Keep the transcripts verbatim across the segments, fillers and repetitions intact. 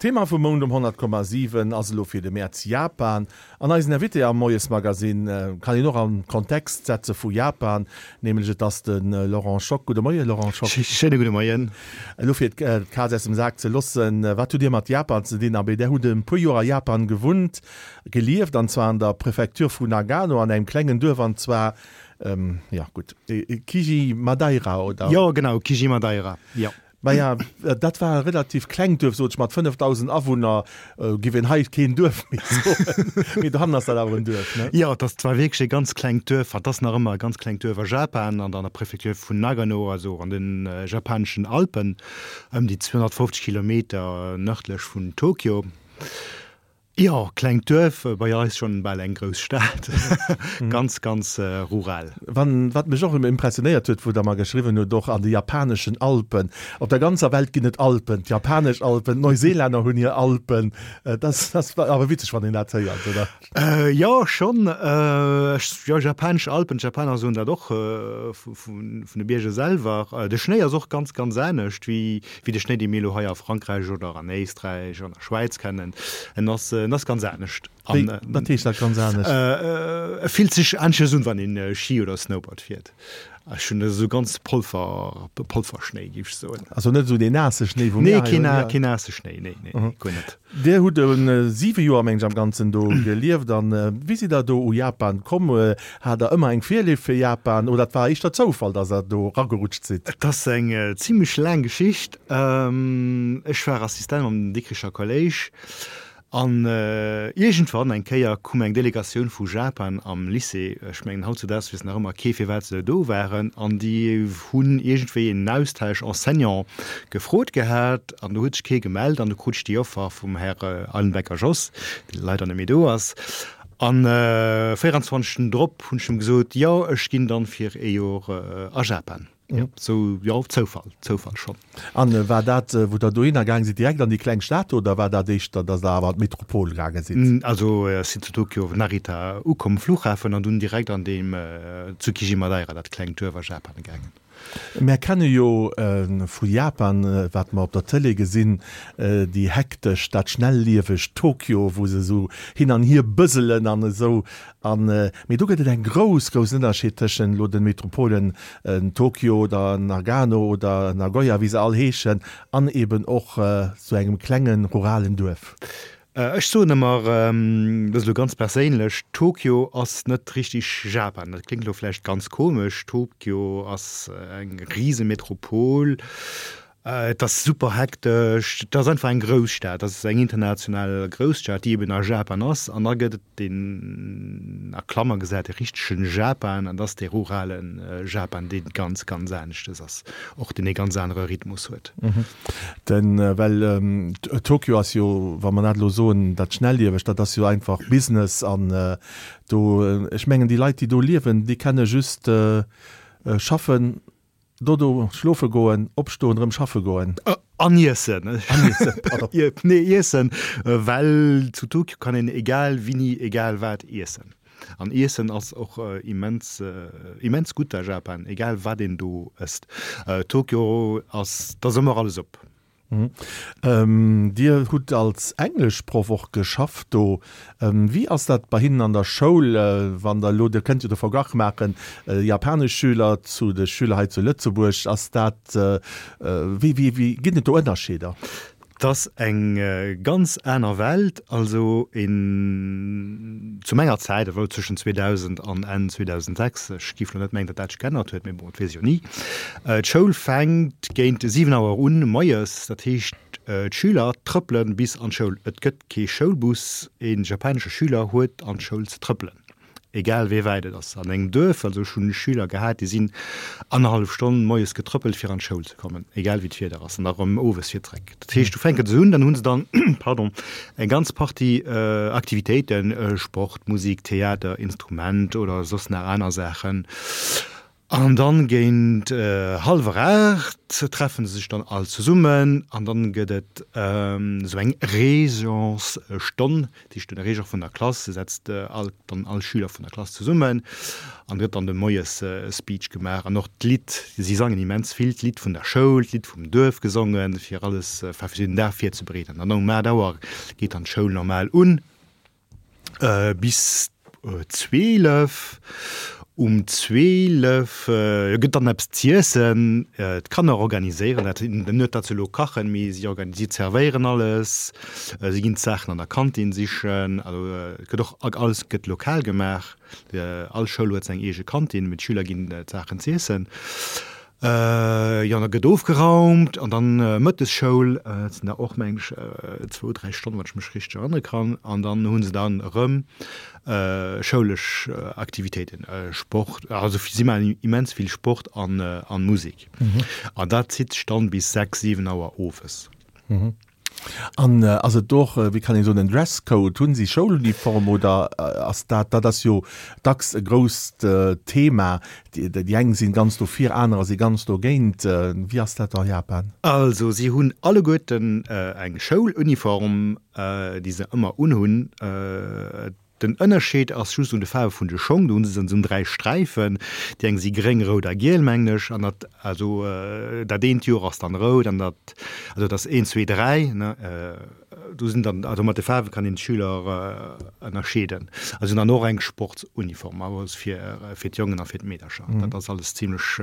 D'Thema vum Mount um honnert Komma siwen ass elo fir de Mäerz Japan. An eisen Invité am Moiesmagasinn kann een och an Kontext setze vu Japan, nämlech et ass de Laurent Schock. Gudde Moien, Laurent Schock. Schéine gudde Moien. Elo fir d'Kaz aus dem Sak ze loossen, wat hutt Dir mat Japan ze dinn? Abee, Där hutt e puer Joer a Japan gewunnt, gelieft, an zwar an der Prefektur vu Nagano, an engem klengen Duerf, an zwar, jo gutt, Kijimadaira, oder? Jo, genau, Kijimadaira, jo. Maja, dat war e relativ klengt Duerf, sot ech, mat fënnefdausend Awunner giff een hei keen Duerf méi soen. Mee dohannen ass dat awer en Duerf, ne? Jo, et ass zwar wierklech e ganz klengt Duerf, et ass nach ëmmer e ganz klengt Duerf a Japan, an der Prefektur vun Nagano, also an de japaneschen Alpen, ëm déi zweehonnertfofzeg Kilometer nërdlech vun Tokio. Jo, klengt Duerf, bei eis schonn bal eng grouss Stad. Ganz, ganz rural. Wann, wat mech och impressionéiert huet, wou Der mer geschriwwen hutt, och an de japaneschen Alpen, op der ganzer Welt ginn et Alpen, d'japanesch Alpen, d'Neuseelänner hunn hir Alpen, dat ass awer witzeg, wann een dat héiert, oder? Jo, schonn. Jo, japanesch Alpen, d'Japaner soen dat och vun de Bierger selwer. De Schnéi ass och ganz, ganz anescht wéi de Schnéi, dee mir elo hei a Frankräich oder an Éisträich an der Schwäiz kennen. En ass En ass ganz anescht. Wéi, wat heescht dat ganz anescht? E fillt sech aneschters un, wann een Ski oder Snowboard fiert. Ech hunn esou ganz Polver, Polverschnéi, géif ech soen. Also net esou deen naasse Schnéi, wou mir hei hunn? Nee, keen naasse Schnéi, nee, nee, guer net. Dir hutt siwe Joer, meng ech, am Ganzen do gelieft. An wéi sidd Der do u Japan komm? Hat Der ëmmer eng Virléift fir Japan oder et war éischter Zoufall, datt Der do eragerutscht sidd? Et ass eng zimlech laang Geschicht. Ech war Assistent am Dikricher Kolléisch. An iergendwann eng Kéier koum eng Delegatioun vu Japan am Lycée, ech mengen hautzudaags weess nach ëmmer kee firwat se do waren, an déi hunn iergendwéi en Austausch Enseignant gefrot gehat an do huet sech kee gemellt an du krut ech déi Offer vum Här Eilenbecker Jos, dee leider net méi do ass. An véieranzwanzeg Stunden drop hunn ech em gesot, jo ech ginn dann fir ee Jor a Japan. Jo, sou, jo, Zoufall, Zoufall schonn. An war dat, wou Der dohinner gaange sidd, direkt an déi kleng Stad oder war dat éischter, datt Der awer an d'Metropol gaange sidd? Also ech sinn zu Tokio Narita ukomm, Flughafen, an dunn direkt an deem Tsukiji-Madaira, dat klengt Duerf a Japan, gaangen. Mär kenne jo vu Japan, wat mer op der Tëlee gesinn, déi hektesch, dat schnelliewegt Tokio, wou se esou hin an hier bëselen an esou. An, mee do gëtt et eng grouss, groussen Ënnerscheed tëschent elo de Metropolen Tokio oder Nagano oder Nagoya, wéi se all heeschen, an eben och sou engem klengen ruralen Duerf. Ech soen ëmmer, dat ass elo ganz perséinlech, Tokio ass net richtig Japan. Dat kléngt elo vläicht ganz komesch. Tokio ass eng Risemetropol. Et ass super hektesch, et ass einfach eng Grousstad, et ass eng international Grousstad, déi eben a Japan ass. An da gëtt et deen, a Klammer gesat, de richtegen Japan, an dat ass dee rurale Japan, dee ganz, ganz aneschtes ass, och deen ee ganz anere Rhythmus huet. Den, well Tokio ass jo, wa mer dat elo soen, dat Schnelliewegt, dat ass jo einfach Business an do, ech mengen déi Leit, déi do liewen, déi kenne just schaffen, Dodo, schlofe goen, opstoen, erëm schaffe goen. An iessen. An iessen, pardon. Nee, iessen, well zu Tokio kann een egal wini, egal wat iessen. An iessen ass och immens, immens gutt a Japan, egal wat een do ësst. Tokio ass, et ass ëmmer alles op. Dir hutt als Engleschproff och geschafft do. Wéi ass dat bei hinnen an der Schoul, wann Der elo, Dir kënnt jo de Verglach maachen, japanesch Schüler zu de Schüler hei zu Lëtzebuerg, ass dat, wéi, wéi, wéi, ginn et do Ënnerscheeder? 't ass eng ganz aner Welt. Also een, zu menger Zäit, ewell zwëschen zweedausend an Enn zweedausendsechs, ech giff lo net mengen, datt dat sech geännert huet, mee bon, et weess ee jo ni, d'Schoul fänkt géint siwen Auer un moies, dat heescht d'Schüler trëppele bis an d'Schoul. Et gëtt kee Schoulbus, ee japanesche Schüler huet an d'Schoul ze trëppelen. Egal wéi wäit et ass an engem Duerf, also ech hunn Schüler gehat, déi sinn annerhallef Stonn moies getrëppelt fir an d'Schoul ze kommen, egal wéi d'Wieder ass, an da rëm owes fir zréck. Dat heescht, du fänken se un, dann hu se dann, pardon, eng ganz Partie Aktivitéiten, Sport, Musik, Theater, Instrument oder soss nach aner Saachen. An dann géint hallwer aacht treffen se sech dann all zesummen an dann gëtt et esou eng Régence-Stonn, dat heescht den Régent vun der Klass setzt all dann all Schüler vun der Klass zesummen an gëtt dann de Moies-Speech gemaach an och d'Lidd, si sangen immens vill d'Lidd vun der Schoul, d'Lidd vum Duerf gesongen, fir alles, enfin fir den Dag virzebereeden. An dann um aacht Auer geet dann d'Schoul normal un. Bis zweelef. Um zweelef gëtt dann eppes z'iessen. D'Kanner organiséieren dat, net datt se elo kachen, mee si organisi zerwéieren alles. Si ginn d'Saachen an der Kantin sichen. Also et gëtt och alles gëtt lokal gemaach. All Schoul huet seng eege Kantin, mee d'Schüler ginn d'Saachen z'iessen. Jo, da gëtt ofgeraumt an dann Mëttesschoul, dat sinn da och meng ech zwou, dräi Stonnen, wann ech mech richteg erënnere kann. An dann hu se dann erëm schoulesch Aktivitéiten, Sport, also si maachen immens vill Sport an Musek. An dat zitt sech dann bis sechs, siwen Auer owes. An ass et do och, wéi kann een soen, en Dresscode? Hunn si Schouluniform oder ass dat, dat ass jo dacks e grousst Thema, déi eng sinn ganz dofir, anerer si ganz dogéint. Wéi ass dat a Japan? Also si hunn alleguerten eng Schouluniform, déi se ëmmer unhunn. Den Ënnerscheed ass just un de Faarwe vun de Schong, do hu se esou dräi Sträifen, déi eng si gréng, rout a giel, mengen ech, an dat, also dat eent Joer ass dann rout an dat, also dat ass een, zwee, dräi, ne, do sinn dann, also mat de Faarwe kann een d'Schüler ënnerscheeden. A se hunn dann och eng Sportsuniform, awer fir, fir d'Jongen a fir d'Meedercher. Dat ass alles zimlech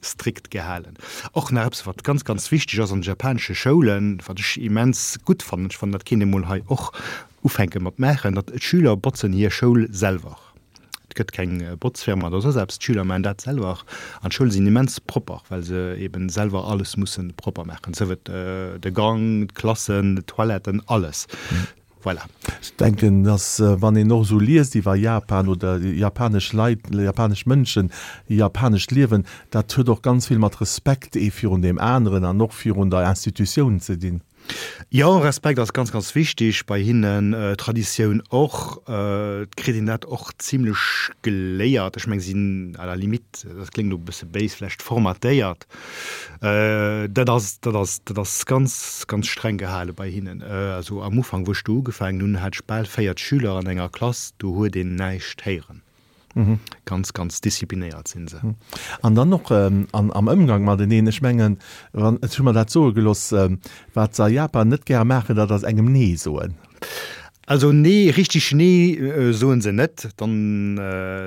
strikt gehalen. Och nach eppes, wat ganz, ganz wichteg ass an de japanesche Schoulen, wat ech immens gutt fannen, ech fannen, dat kéint ee mol hei och Ufänke mat maachen, datt d'Schüler botzen hir Schoul selwer. Et gëtt keng Botzfirma oder soss eppes, d'Schüler maachen dat selwer an d'Schoule sinn immens propper, well se eben selwer alles musse propper maachen, sief et de Gang, d'Klassen, d'Toiletten, alles. Voilà. Ech denken, datt wann een och esou liest iwwer Japan oder japanesch Leit, japanesch Mënschen, japanescht Liewen, dat huet och ganz vill mat Respekt ee virun deem aneren an och virun der Institutioun ze dinn. Jo, Respekt ass ganz, ganz wichtig bei hinnen, Traditioun och. Et kritt een dat och zimlech geléiert. Ech meng, si sinn à la limite, dat kléngt elo e bësse béis, vläicht formatéiert. Dat ass, dat ass, dat ass ganz, ganz streng gehale bei hinnen. Also am Ufank, wou ech do ugefaangen hunn, hat ech bal véiert Schüler an enger Klass, do huet een näischt héieren. Ganz, ganz disziplinéiert sinn se. An dann och an, am Ëmgang mateneen. Ech mengen, wann, ech hu mer dat soe gelooss, wat se a Japan net gäre maachen, dat ass engem Nee soen. Also nee, richtig Nee soen se net. Dann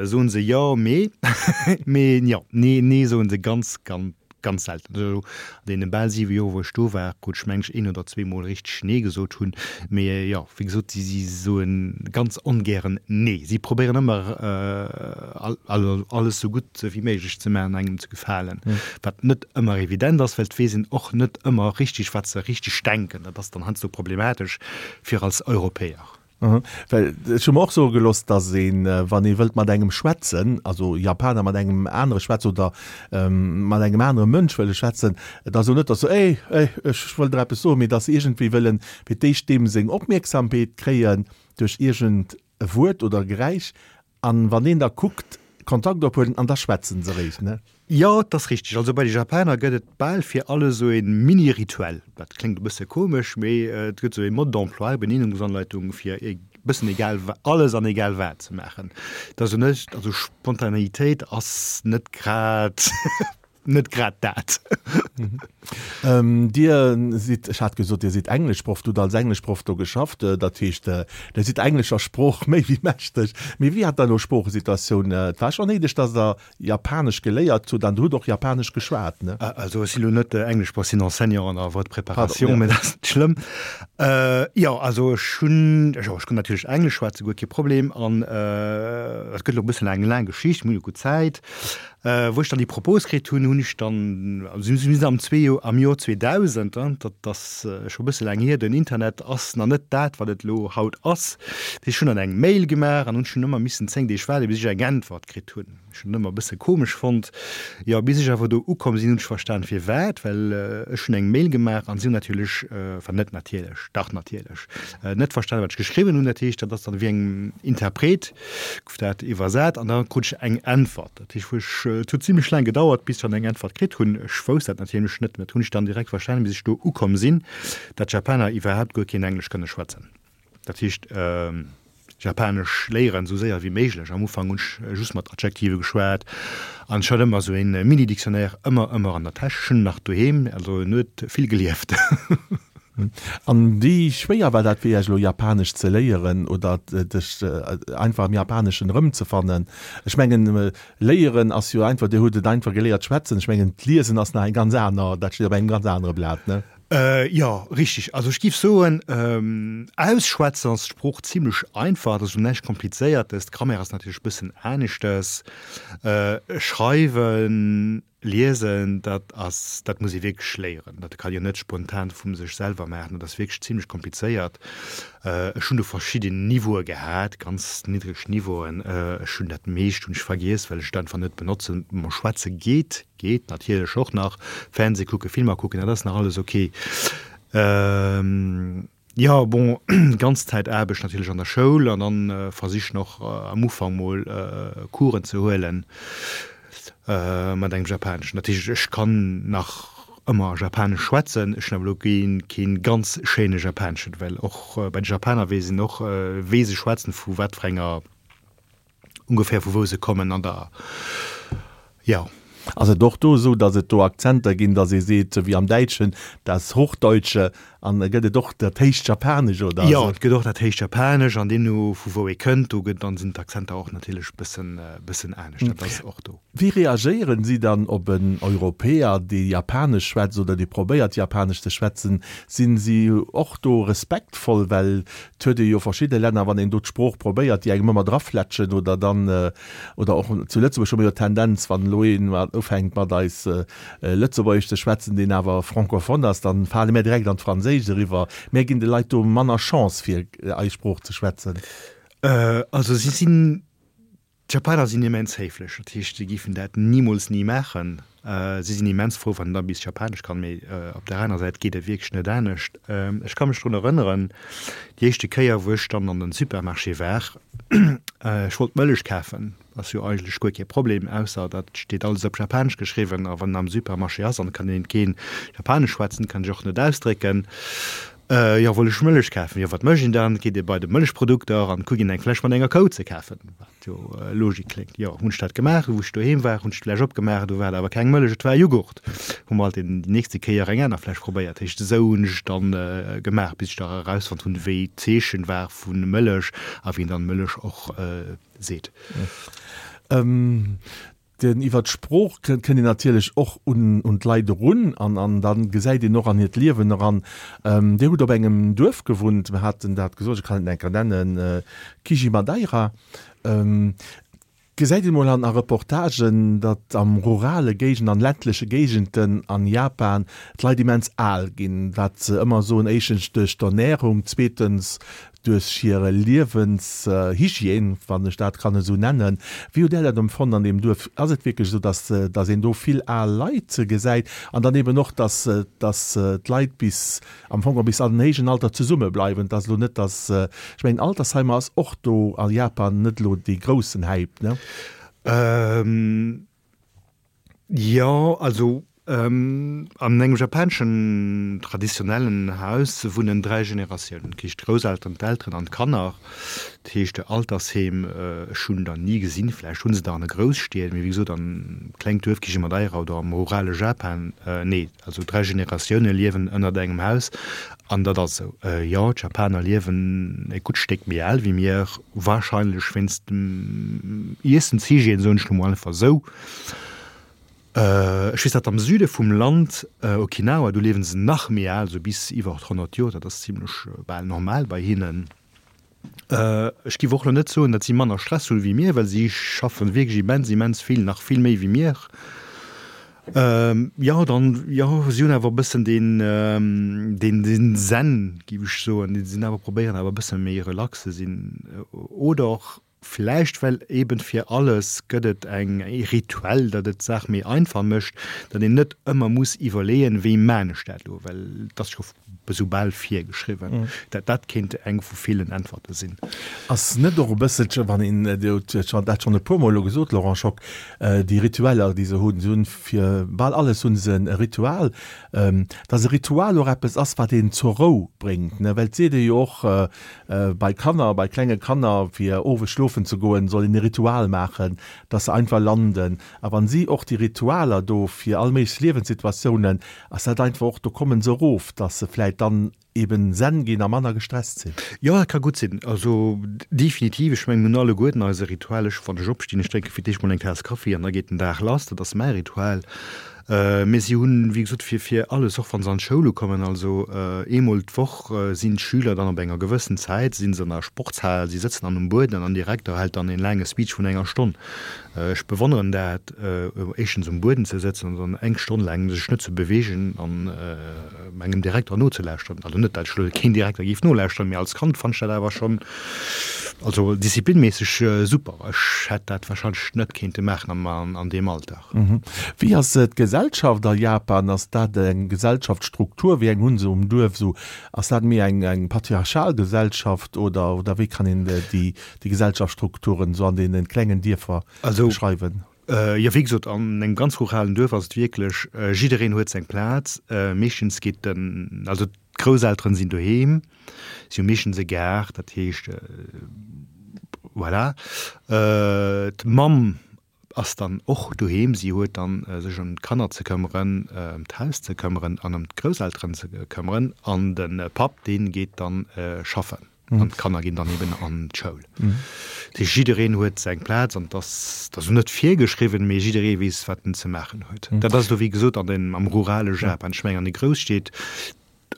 soen se Jo, mee. Mee jo, nee, nee soen se ganz, ganz. Ganz selten. Also an deene bal siwe Joer, wou ech do war, krut ech mengen ech een oder zwee Mol richteg Nee gesot hunn. Mee jo, wéi gesot, si si soe ganz ongären Nee. Si probéieren ëmmer alles esou gutt wéi méiglech ze maachen, engem ze gefalen. Wat net ëmmer evident ass, well et weess een och net ëmmer richteg, wat se richteg denken. Dat ass dann heiansdo problematesch fir als Europäer. Well ech hu mer och soe gelooss, datt een, wann ee wëllt mat engem schwätzen, also Japaner mat engem anere schwätzen oder mat engem anere Mënsch wëlle schwätzen, et ass elo net, datt se Ey, ey, ech wëll der eppes soen, mee datt se iergendwéi wëllen fir d'éischt deem seng Opmierksamkeet kréien duerch iergend e Wuert oder e Geräisch. An wann deen da kuckt, Kontakt ophuelen an da schwätzen se eréischt, ne? Jo, et ass richteg. Also bei de Japaner gëtt et bal fir alles esou e Mini-Rituel. Dat kléngt e bësse komesch, mee et gëtt esou e Mode d'emploi, Benennungsanleitung, fir e bëssen egal alles an egal wat ze maachen. Et ass jo net, also Spontaneitéit ass net grad net grad dat. Dir sidd, ech hat gesot, Dir sidd Engleschproff, Dir hutt als Engleschproff do geschafft, dat heescht, Dir sidd englescher Sprooch méi wéi mächteg. Mee wéi hat der elo Sproochesituatioun? Et war schonn néideg, datt Der Japanesch geléiert hutt an Der hutt och Japanesch geschwat, ne? Also ech sinn elo net Engleschproff, ech sinn Enseignant an der Voie de préparation, mee dat ass net schlëmm. Jo, also ech hunn, jo, ech kann natierlech Englesch schwätzen, guer kee Problem. An et gëtt elo e bëssen eng laang Geschicht, mir hunn jo gutt Zäit. Wou ech dann déi Propos kritt hunn, hunn ech dann, also mir sinn am zwee Joer, am Joer zweedausend, dat ass scho e bësse laang hier, den Internet ass nach net dat, wat et elo haut ass. Dat heescht, ech hunn dann eng Mail gemaach an hunn ech hunn ëmmer missen zéng Deeg waarden, bis ech eng Äntwert kritt hunn. Ech hunn et ëmmer e bësse komesch fonnt. Jo, bis ech awer do ukomm sinn, hunn ech verstan firwat, well ech hunn eng Mail gemaach an si hunn natierlech, enfin net natierlech, dach natierlech, net verstan wat ech geschriwwen hunn. Dat heescht, dat ass dann wéi engem Interpret gouf dat iwwersat an da krut ech eng Äntwert. Dat heescht, wou ech, et huet zimlech laang gedauert, bis ech dann eng Äntwert kritt hunn. Ech wousst dat natierlech net, mä dat hunn ech dann direkt verstanen, bis ech do ukomm sinn, dat d'Japaner iwwerhaapt guer keen Englesch kënne schwätzen. Dat heescht, Japanesch léieren esou séier wéi méiglech. Am Ufank hunn ech just mat Adjektive geschwat an ech hat ëmmer esou een Mini-Dictionnaire ëmmer, ëmmer an der Täsch. Ech hunn en nach doheem, also en huet vill gelieft. An wéi schwéier war dat fir Iech elo Japanesch ze léieren oder dech einfach am Japaneschen erëmzefannen? Ech mengen léieren ass jo einfach, Dir hutt et einfach geléiert schwätzen, ech mengen d'Liesen ass nach eng ganz aner, dat steet op engem ganz anere Blat, ne? Jo, richteg. Also ech giff soen, ausschwätzen ass d'Sprooch zimlech einfach, et ass esou näischt Komplizéiertes. D'Grammaire ass natierlech e bëssen aneschtes. Schreiwen, liesen, dat ass, dat muss ee wierklech léieren. Dat kann een jo net spontan vu sech selwer maachen, dat ass wierklech zimlech komplizéiert. Ech hunn do verschidden Niveaue gehat, ganz niddreg Niveauen. Ech hunn dat meescht hunn ech vergiess, well ech et einfach net benotzen. Ma schwätze geet. Geet natierlech och nach. Fernseh kucken, Filmer kucken, dat ass nach alles ok. Jo, bon, ganz Zäit Aarbecht natierlech an der Schoul an dann versichen och am Ufank mol Coursen ze huelen mat engem Japaneschen. Dat heescht, ech kann nach ëmmer Japanesch schwätzen, ech hunn awer elo kee ganz schéine Japaneschen, well och bei de Japaner weess een och, wéi se schwätzen, vu wat fir enger ongeféier vu wou se kommen an der, jo. Ass et och do esou, datt et do Akzenter ginn, datt ee seet, wéi am Däitschen, das Hochdeutsche, an gëtt et och dat héicht Japanesch oder? Jo, et gëtt och dat héicht Japanesch an deemno vu wou ee kënnt, do gëtt, dann sinn d'Akzenter och natierlech bëssen, bëssen anescht, dat ass och do. Wéi reagéieren si dann op en Europäer, dee Japanesch schwätzt oder dee probéiert Japanesch ze schwätzen? Sinn si och do respektvoll? Well et huet ee jo verschidde Länner, wann een do d'Sprooch probéiert, déi engem ëmmer draflätschen oder dann, oder och zu Lëtzebuerg hu mir jo d'Tendenz, wann elo een ufänkt mat eis Lëtzebuergesch ze schwätzen, deen awer francophone ass, dann fale mär direkt an d'Franséischt eriwwer. Mär ginn de Leit do manner Chance fir eis Sprooch ze schwätzen. Also si sinn, d'Japaner sinn immens héiflech, dat heescht si géifen dat nimools ni maachen. Si sinn immens frou wann een da bis Japanesch kann, mee op der anerer Säit geet et wierklech net anescht. Ech ka mech drun erënneren, déi éischte Kéier wou ech dann an den Supermarché war, ech wollt Mëllech kafen, Ass jo eigentlech guer kee Problem, ausser dat steet alles op Japanesch geschriwwen a wann en am Supermarché ass an et kann een keen Japanesch schwätzen, kann sech och net ausdrécken. Jo, wollt ech Mëllech kafen. Jo, wat mécht een dann? Geet ee bei de Mëllechprodukter an kuckt een eng Fläsch mat enger Kou ze kafen, wat jo Logik kléngt. Jo, hunn ech dat gemaach. Wou ech doheem war, hunn ech d'Fläsch opgemaach, do war et awer keng Mëllech, et war Jughurt. Hu mer halt déi nächste Kéier eng aner Fläsch probéiert. Heescht, esou hunn ech et dann gemaach, bis ech da erausfonnt hunn, wéi d'Zeechen war vu Mëllech a wéi een dann Mëllech och seet. Den iwwer d'Sprooch kënnt een natierlech och un d'Leit erun an an da gesäit een och an hiert Liewen eran. Dir hutt op engem Duerf gewunnt, mir haten dat gesot, ech kann et nach eng Kéier nennen, Kijimadaira. Gesäit een mol an a Reportagen, datt am rurale Géigenden, an ländleche Géigenden an Japan d'Leit immens al ginn, wat se ëmmer soen, éischtens duerch d'Ernärung, zweetens duerch hir Liewenshygiène, wann ech dat kann esou nennen. Wéi hutt Där dat empfonnt an deem Duerf? Ass et wierklech esou, dass, dass een do vill al Leit gesäit an dann eben och, dass, dass d'Leit bis, am Fong och bis an den héijen Alter zesumme bleiwen? Et ass elo net, dass, ech mengen Altersheimer ass och do a Japan net elo dee groussen Hype, ne? Jo, also An engem japaneschen traditionellen Haus wunnen dräi Generatiounen, dat heescht d'Grousselteren, d'Elteren an d'Kanner. Dat heescht Altersheem, ech hunn der ni gesinn, vläicht hu se der an de Grousstied, mee wéi gesot am klengt Duerf Kijimadaira oder am rurale Japan, nee, also dräi Generatioune liewen ënnert engem Haus an dat ass esou. Jo, d'Japaner liewen e gutt Stéck méi al wéi mir, warscheinlech wéinst dem Iessenshygiène, soen ech lo mol einfach esou. Ech weess, datt am Süde vum Land, Okinawa, do liewen se nach méi al, esou bis iwwer honnert Joer, dat ass zimlech bal normal bei hinnen. Ech géif och elo net soen, datt si manner Stress hunn wéi mir, well si schaffen wierklech immens, immens vill, nach vill méi wéi mir. Jo, dann, jo, si hunn awer e bëssen deen, deen, deen Zen, géif ech soen, si sinn awer, probéieren awer e bësse méi relax ze sinn oder och, Vläicht well eben fir alles gëtt et eng e Rituel, dat et d'Saach méi einfach mécht, datt een net ëmmer muss iwwerleeën, wéi maan ech dat elo, well et ass scho esou bal virgeschriwwen. Dat dat kéint eng vu villen Äntwerte sinn. Ass net och e bësselche, wann een, Dir hutt dat schonn e puermol elo gesot, Laurent Schock, déi Ritueller, déi se hunn, se hunn fir bal alles hu se e Ritual, datt e Ritual och eppes ass, wat een zur Rou bréngt, ne? Well et seet ee jo och, Bei Kanner, bei klenge Kanner, fir owes schlofen ze goen, soll een e Ritual maachen, dass se einfach landen. A wann si och déi Ritualer do fir all méiglech Liewenssituatiounen, ass dat einfach och, do kommen se erof, dass se vläit dann eben zen ginn a manner gestresst sinn. Jo, dat ka gutt sinn. Also definitiv. Ech mengen, mir hunn alleguerten eise Ritual. Ech, wann ech opstinn, ech drénke fir d'éischt mol eng Taass Kaffi an da geet den Dag lass. Dat ass mäi Ritual. Mee si hunn, wéi gesot, fir fir alles, och wa se an d'Schoul ukommen, also eemol d'Woch sinn d'Schüler dann op enger gewëssen Zäit si se an der Sportshal, si sëtzen dann um Bueden an den Direkter hält dann een laange Speech vun enger Stonn. Ech bewonneren dat, éischtens um Bueden ze sëtzen an dann eng Stonn laang sech net ze beweegen an engem Direkter nozelauschteren. Also net, dat ech elo keen Direkter géif nolauschteren, mee als Kand fannt ech dat awer schonn, also disziplinméisseg super. Ech hätt dat warscheinlech net kéinte maachen an deem Alter. Wéi ass d'Gesellschaft a Japan? Ass dat eng Gesellschaftsstruktur? Wéi eng hu se um Duerf esou? Ass dat méi eng eng patriarchal Gesellschaft oder oder wéi kann een déi déi Gesellschaftsstrukturen esou an deene klengen Dierfer beschreiwen? Also, jo, wéi gesot, an engem ganz ruralen Duerf ass et wierklech, jiddereen huet seng Plaz. Meeschtens geet den, also d'Grousselteren sinn doheem, si hu meeschtens e Gaart, dat heescht, voilà. D'Mamm ass dann och doheem, si huet dann sech ëm d'Kanner ze këmmeren, ëm d'Haus ze këmmeren an ëm d'Grousselteren ze këmmeren an de Papp dee geet dann schaffen an d'Kanner ginn dann eben an d'Schoul. Dat heescht jiddereen huet seng Plaz an et ass, et ass net virgeschriwwen, mee jidderee weess wat en ze maachen huet. Dat ass elo wéi gesot an den, am rurale Japan. Ech mengen an de Grousstied,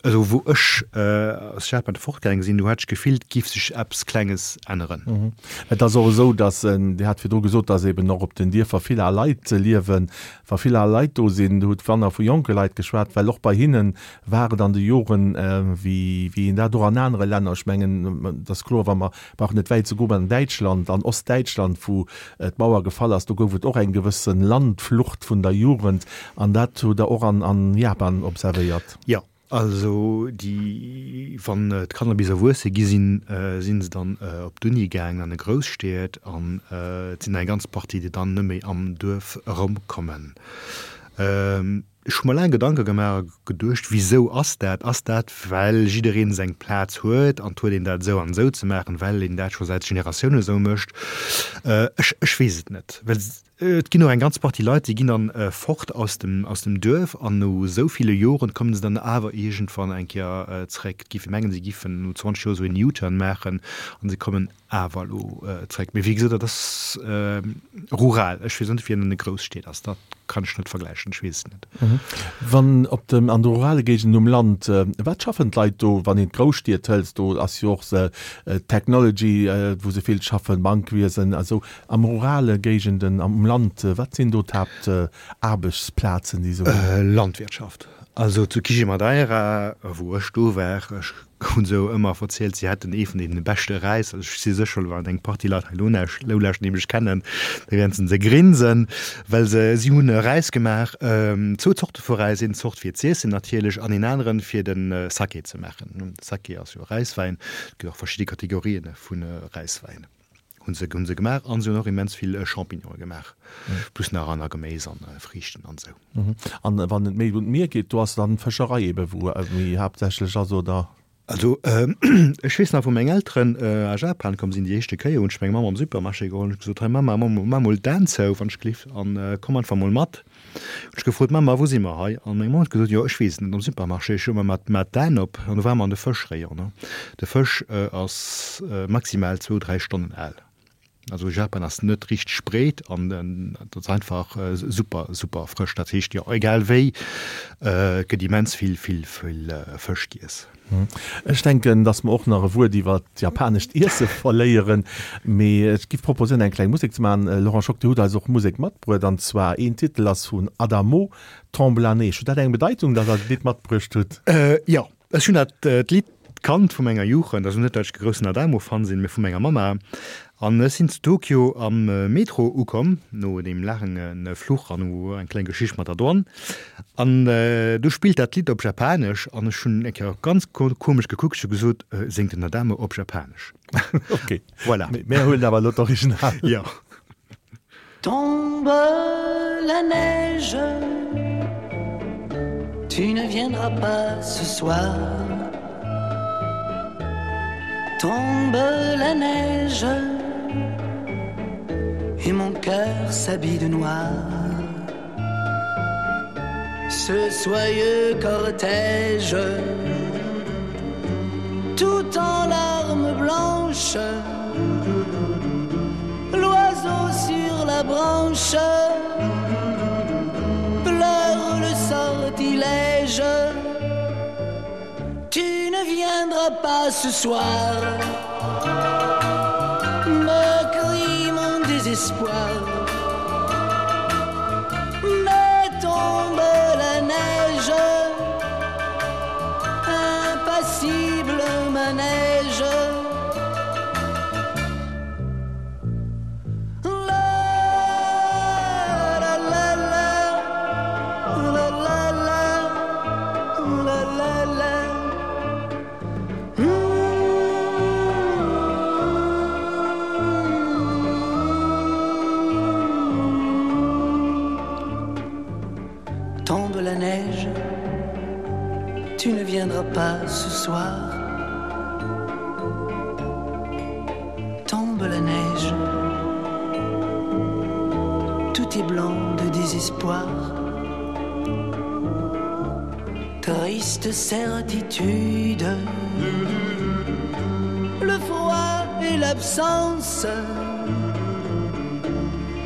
Also wou ech aus Japan fortgaange sinn, do hat ech d'Gefill, et giff sech eppes Klenges änneren. Et ass och esou, datt, Dir hat virdru gesot, datt eben och op den Dierfer vill al Leit liewen. Wa vill al Leit do sinn, Dir hutt wanner vu jonke Leit geschwat, well och bei hinne war et an de Joren, wéi wéi een dat och an anere Länner, ech mengen, et ass kloer, wa mer brauchen net wäit ze goen, an Däitschland, an Ostdäitschland, wou d'Mauer gefall ass, do gouf et och eng gewësse Landflucht vun der Jugend an dat hutt Der och an Japan observéiert. Jo. Also déi, wann d'Kanner bis erwuesse gi sinn, si se dann op d'Uni gaangen an de Grousstied an et sinn eng ganz Partie, déi dann net méi am Duerf erëmkommen. Ech hu mer laang Gedanke gemaach a geduecht, wisou ass dat? Ass dat, well jiddereen seng Plaz huet an et huet een dat esou an esou ze maachen, well een dat scho säit Generatiounen esou mécht? Ech, ech weess et net. Well Et ginn och eng ganz Partie Leit, déi ginn dann fort aus dem, aus dem Duerf an no esou ville Joren kommen se dann awer iergendwann eng Kéier zréck. Et géif ee mengen, si giffen no zwanzeg Joer esou een U-Turn maachen an se kommen awer elo zréck. Mee wéi gesot, dat ass rural. Ech weess net, wéi et an de Grousstied ass. Dat kann ech net vergläichen, ech weess et net. Wann op dem, an de rurale Géigenden um Land, wat schaffen d'Leit do, wann een d'Grousstied hëlt, do ass jo och Technology, wou se vill schaffen, Bankwiesen a sou. Am rurale Géigenden am Land, wat sinn do d'Haaptaarbechtsplazen, déi se hunn? Landwirtschaft. Also zu Quijemadeira, wou ech do war, ech hunn se ëmmer verzielt, si hätten ee vun deene beschte Räis. Also ech si sécher, wann eng Partie Leit hei elo lauschten, déi mech kennen, da wäerten se grinsen, well se, si hunn e Räis gemaach, zwou Zorte vu Räis, een Zort fir z'iessen natierlech an een aneren fir de Sake ze maachen. Sake ass jo Räiswäin, et gëtt och verschidde Kategorien vu Räiswäin. Hunn se hunn se gemaach an se hunn och immens vill Champignone gemaach, plus nach aner Geméis an Friichten an esou. An wann et méi un d'Mier geet, do ass dann d'Fëscherei ebe wou méi haaptsächlech ass, oder? Also ech weess nach wou meng Elteren a Japan komm sinn déi éischte Kéier, hunn ech meng Mamm am Supermarché geholl an ech gesot, hei Mamma, maach mol d'Aen zou wann ech gelift an komm einfach mol mat. Hunn ech gefrot, Mamma, wou si mer hei? An meng Mamm huet gesot, Jo, ech weess et net, am Supermarché. Ech hu mer mat mat d'Aen op an do ware mer an de Fëschrayon. De Fësch ass maximal zwou, dräi Stonnen al. Also Japan ass net richteg breet an et ass einfach super, super frësch. Dat heescht, jo, egal wéi, et gëtt immens vill, vill, vill Fësch giess. Ech denken, dass mer och nach e Wuert iwwer d'japanescht Iesse verléieren, mee ech giff proposéieren, eng kleng Musek ze maachen. Laurent Schock, Dir hutt eis och Musek matbruet, an zwar een Titel ass vun Adamo, Tombe la neige. Huet dat eng Bedeitung, dass Der dat Lidd matbruecht hutt? Jo, ech hunn dat Lidd kannt vu menger Jugend, also net, well ech e groussen Adamo-Fan sinn, mee vu menger Mamma. An ech sinn zu Tokio am Metro ukomm, no deem laange Fluch an no eng kleng Geschicht mat der Douane. An du spillt dat Lidd op Japanesch an ech hunn eng Kéier ganz komesch gekuckt, ech hu gesot, Séngt den Adamo op Japanesch? Ok, voilà. Mir huelen awer elo d'Original. Jo. Tombe la neige, tu ne viendras pas ce soir. Tombe la neige et mon cœur s'habille de noir. Ce soyeux cortège tout en larmes blanches, l'oiseau sur la branche pleure le sortilège. Tu ne viendras pas ce soir, me crie mon désespoir. Mais tombe la neige, impassible manège. Tombe la neige, tu ne viendras pas ce soir. Tombe la neige, tout est blanc de désespoir. Triste certitude, le froid et l'absence,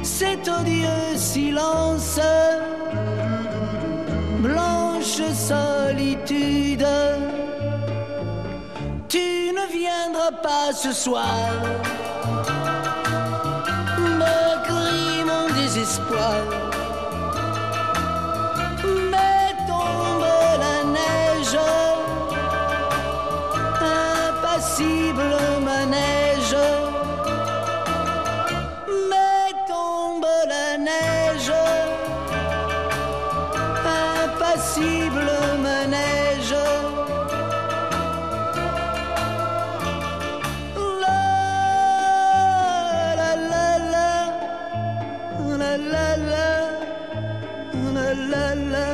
cet odieux silence, blanche solitude. Tu ne viendras pas ce soir, me crie mon désespoir. Mais tombe la neige, impassible manège. Mais tombe la neige, impassible manège. La la la la, la la la, la la la.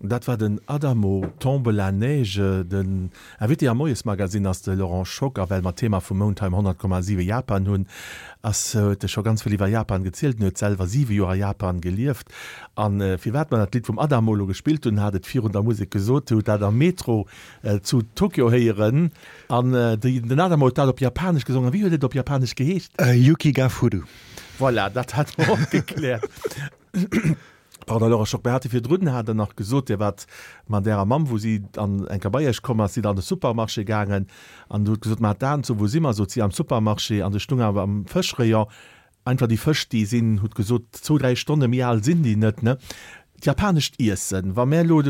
Dat war den Adamo, Tombe la neige. Den Invité am Moiesmagazin ass de Laurent Schock a well mer d'Thema vum Mount hei um honnert Komma siwe Japan hunn, ass huet e scho ganz vill iwwer Japan gezielt. En huet selwer siwe Joer a Japan gelieft. An firwat mer dat Lidd vum Adamo elo gespillt hunn, hat et virun der Musek gesot, Dir hutt dat am Metro zu Tokio héieren an den Adamo huet dat op Japanesch gesongen. Wéi huet et op Japanesch geheescht? Yuki ga furu. Voilà, dat hat mer och gekläert. Pardon, Laurent Schock, mir hate virdrun, hat Der nach gesot, Dir waart mat Ärer Mamm, wou si an eng Kéier bei Iech komm ass, sidd Der an de Supermarché gaangen an Der hutt gesot, Ma d'Aen zou, wou si mer? Sot si, am Supermarché. An du stung awer am Fëschrayon einfach déi Fësch, déi sinn, hutt gesot, zwou, dräi Stonne méi al sinn déi net, ne? D'japanescht Iessen, wa mär elo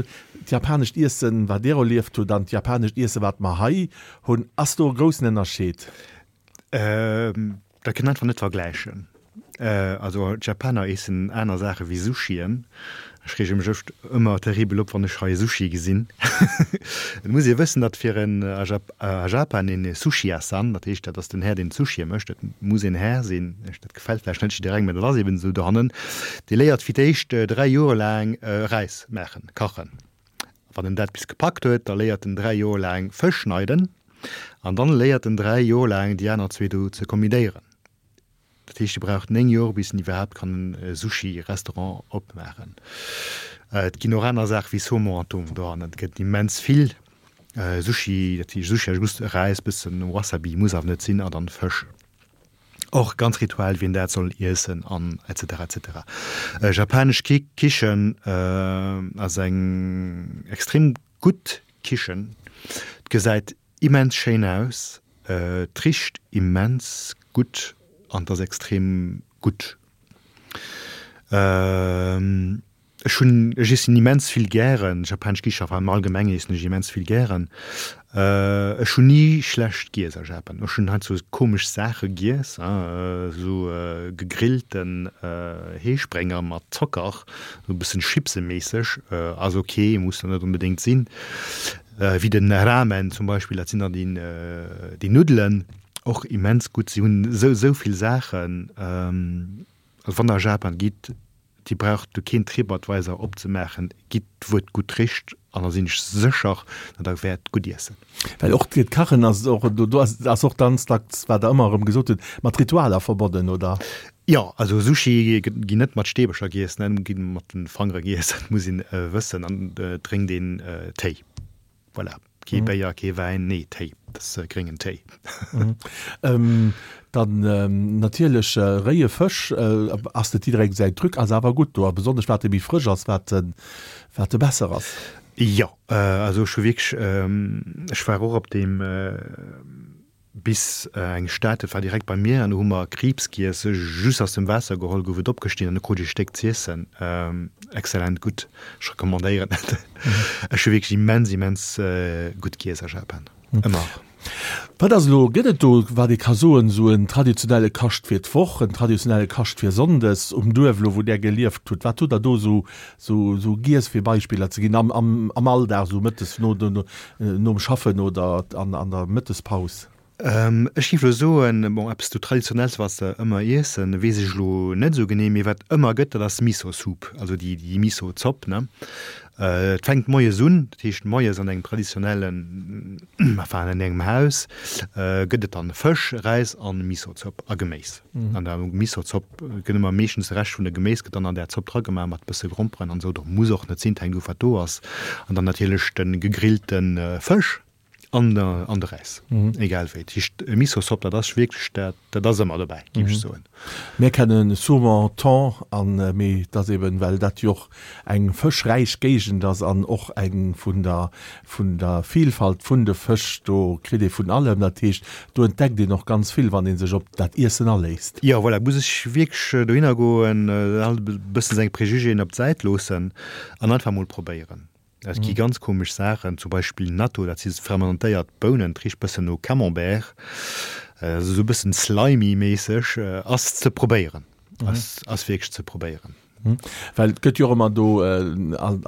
d'japanescht Iessen, wat Dir erlieft hutt, an d'japanescht Iessen, wat mer hei hunn, ass do e groussen Ënnerscheed? Dat kënnt einfach net vergläichen. Also d'Japaner eessen aner Saache wéi Sushien. Ech reege mech ëft ëmmer terribel op, wann ech hei Sushi gesinn. Et muss ee wëssen, datt fir en a Japan een Sushiya-san, dat heescht, dat ass den Här, deen d'Sushie mécht, dat muss een Här sinn, dat gefält vläicht net jidderengem, mä dat ass eben esou dohannen, dee léiert fir d'éischt dräi Joer laang Räis maachen, kachen. Wann en dat bis gepackt huet, da léiert en dräi Joer laang Fësch schneiden an dann léiert en dräi Joer laang déi aner zwee do ze kombidéieren. Dat heescht, e brauch néng Joer, bis en iwwerhaapt kann e Sushi-Restaurant opmaachen. Et ginn och aner Saache wéi Saumon an Thon dohannen. Et gëtt immens vill Sushi. Dat heescht, Sushi ass just Räis, bëssen Wasabi, muss awer net sinn, a dann Fësch. Och ganz Ritual, wien dat soll iessen an et cetera et cetera. Japanesch Kichen ass eng extrem gutt Kichen. gesäit immens schéin aus, et richt immens gutt an et ass extrem gutt. Ech hunn, ech iessen immens vill gären japanesch Kichen, enfin am Allgemengen iessen ech immens vill gären. Ech hunn ni schlecht giess a Japan. Ech hunn heiansdo komesch Saache giess, esou gegrillten Heesprénger mat Zocker, esou e bëssen chipseméisseg, ass ok, muss net onbedéngt sinn. Wéi den Ramen zum Beispill, dat sinn dann déi, déi Nuddelen, och immens gutt. Si hunn esou, esou vill Saachen. Also wann der a Japan gitt, Dir braucht do keen TripAdvisor opzemaachen, gitt wou et gutt richt an da sinn ech sécher, datt der wäert gutt iessen. Well och d'Kachen ass och, do ass och ganz dacks, wat Der ëmmer erëm gesot hutt, mat Ritualer verbonnen, oder? Jo, also Sushi ginn net mat Steebercher giess, ne, gi mat de Fangere giess, dat muss een wëssen, an et drénkt een Téi. Voilà, kee Béier, kee Wäin, nee, Téi, dat ass gréngen Téi. Dann natierlech réie Fësch ass net jidderengem säin Truc, ass awer gutt do, a besonnesch wat e méi frësch ass, wat e wat e besser ass. Jo, also ech hu wierklech, ech war och op deem bis eng Stad, dat war direkt bei mir, an do hu mer Kriibs giess, just aus dem Waasser geholl, gouf et opgestinn an du krut ech e Stéck z'iessen. Exzellent gutt, ech recommandéieren et. Ech hu wierklech immens, immens gutt giess a Japan, ëmmer. Wat ass elo, gëtt et do, wat ee ka soen, esou en traditionelle Kascht fir d'Woch, en traditionelle Kascht fir Sonndes um Duerf elo, wou Där gelieft hutt? Wat hutt Der do esou, esou, esou giess, fir Beispiller ze ginn, am, am, am Alldag, esou mëttes no, nom Schaffen oder an, an der Mëttespaus? Ech géif elo soen, bon, eppes do Traditionells, wat se ëmmer iessen, weess ech elo net esou genee, mee wat ëmmer gëtt, dat ass Miso-Soup, also déi, déi Miso-Zopp, ne. Et fänkt moies un, dat heescht moies an engem traditionellen, enfin an engem Haus, gëtt et dann Fësch, Räis an Miso-Zopp a Geméis. An der Miso-Zopp gëtt ëmmer meeschtens de Rescht vun de Geméis gëtt dann an där Zopp dragemaach mat bësse Gromperen an esou, oder muss och net sinn, et hänkt of wat do ass. An dann natierlech de gegrillte Fësch. An der, an de Räis, egal wéi. Dat heescht, Miso-Zopp, dat ass wierklech dat, dat ass ëmmer dobäi, géif ech soen. Mir kennen Saumon, Thon an, mee et ass eben, well dat jo och eng fëschräich Géigend ass an och eng vun der, vun der Vielfalt vun de Fësch, do kritt ee vun allem. Dat heescht, do entdeckt een och ganz vill, wann ee sech op dat Iessen aléisst. Jo, voilà, muss ech wierklech dohinner goen, alt e bëssen seng Préjugéen op d'Säit loossen an einfach mol probéieren. Et gi ganz komesch Saachen, zum Beispill Natto, dat si fermentéiert Bounen, et richt bëssen no Camembert, esou e bëssen slimy-méisseg. Ass ze probéieren, ass ass wierklech ze probéieren. Well et gëtt jo och ëmmer do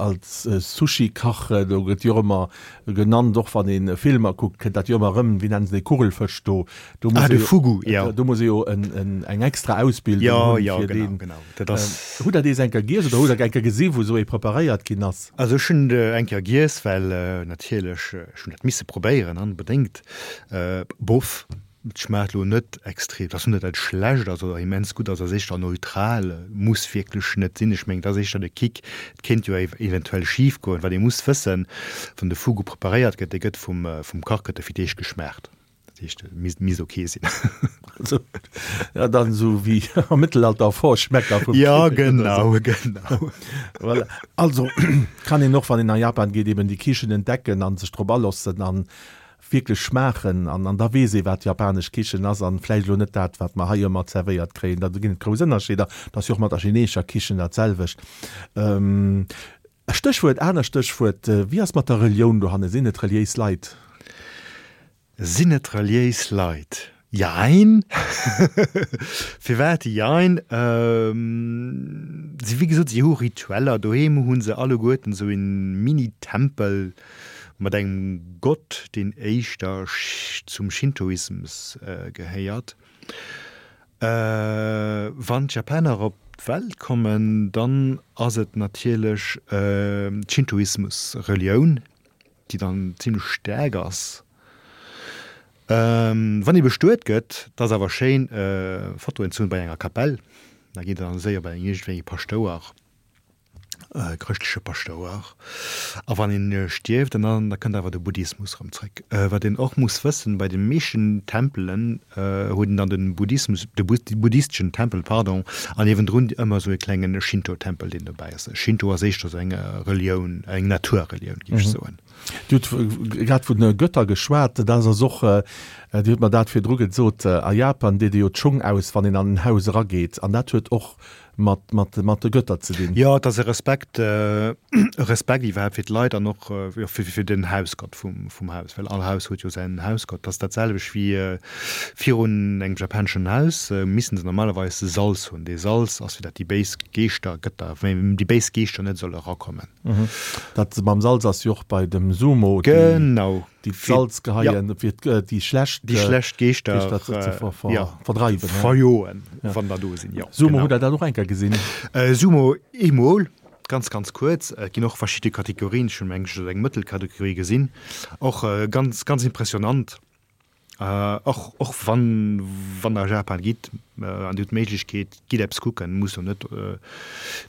als Sushi-Kach, do gëtt jo och ëmmer genannt, och wann ee Filmer kuckt, kënnt dat jo ëmmer erëm, wéi nennen se dee Kugelfësch do? Do muss Ah, de ee jo, Fugu, jo. do muss ee jo en, en, eng extra Ausbildung Jo, hunn, jo, fir genau, deen. genau. Dat ass. Hutt Der dees eng Kéier giess oder hutt Der eng Kéier gesi wou esou ee preparéiert ginn ass? Also ech hunn eng Kéier giess, well natierlech, ech hunn dat misse probéieren onbedéngt. Bof, et schmaacht elo net extrem, et ass net dat et schlecht ass oder immens gutt ass, ass éischter neutral, muss wierklech net sinn. Ech mengen et ass éischter de Kick, et kéint jo eventuell schif goen. Wat ee muss wëssen, wann de Fugu preparéiert gëtt, dee gëtt vum Kach gëtt e fir d'éischt geschmaacht. Dat heescht, et misst, misst ok sinn. Also, ja, dann esou wéi am Mëttelalter Vorschmecker vum Ja, Kinnek oder genau, sou. genau. Voilà. Also, kann een och, wann een a Japan geet, eben déi Kichen entdecken an sech drop alossen an wierklech schmaachen an, an da weess ee, wat japanesch Kichen ass an vläicht elo net dat, wat mer hei ëmmer zerwéiert kréien. Da ginn et grouss Ënnerscheeder. Dat ass jo och mat der chineesescher Kichen dat selwecht. Ähm, Stéchwuert, aner Stéchwuert, Wéi ass mat der Relioun dohanne? Sinn et reliéis Leit? Sinn et reliéis Leit? Jein. Firwat jein? Si, wéi gesot, si hu Ritueller. Doheem hu se alleguerten esou e Mini-Tempel mat engem Gott, deen éischter zum Shintoismus gehéiert. Wann d'Japaner op d'Welt kommen, dann ass et natierlech d'Shintoismus-Relioun, déi dann zimlech staark ass. Wann ee bestuet gëtt, dat ass awer schéin Fotoen ze hunn bei enger Kapell, da geet et dann séier bei iergendwéi ee Paschtouer. E chrëschtleche Paschtouer. A wann een stierft, dann da kënnt awer de Buddhismus erëm zréck. Wat een och muss wëssen, bei de meeschten Tempelen huet een dann de Buddhismus, de buddhisteschen Tempel, pardon, an niewendrun ëmmer esou e klengen Shinto-Tempel, deen dobäi ass. Shinto ass éischter esou eng Relioun, eng Naturrelioun, géif ech soen. Dir hutt grad vun Götter geschwat, dat ass och, Dir hutt mer dat virdru gesot, a Japan deet ee jo d'Schung aus, wann een an en Haus erageet, an dat huet och mat, mat, mat de Götter ze dinn. Jo, et ass e Respekt, e Respekt iwwerhaapt fir d'Leit an och jo, fir, fir den Hausgott vum, vum Haus, well all Haus huet jo säin Hausgott. Et ass dat selwecht wéi virun engem japaneschen Haus missen se normalerweis Salz hunn. Dee Salz ass fir dat déi béis Geeschter, Gëtter, déi béis Geeschter net solle erakommen. Dat mam Salz ass jo och bei dem Sumo, déi. Genau. Déi d'Salz geheien, fir déi schlecht déi schlecht Geeschter ze verdreiwen, verjoen, wann der do sinn. Jo, Sumo, hutt Der dat och eng Kéier gesinn? Sumo eemol, ganz, ganz kuerz. Et ginn och verschidde Kategorien. Ech hunn, meng ech, eng Mëttelkategorie gesinn. Och ganz, ganz impressionant. Och, och wann, wann Der a Japan gitt an Dir hutt d'Méiglechkeet, gitt eppes kucken. Muss jo net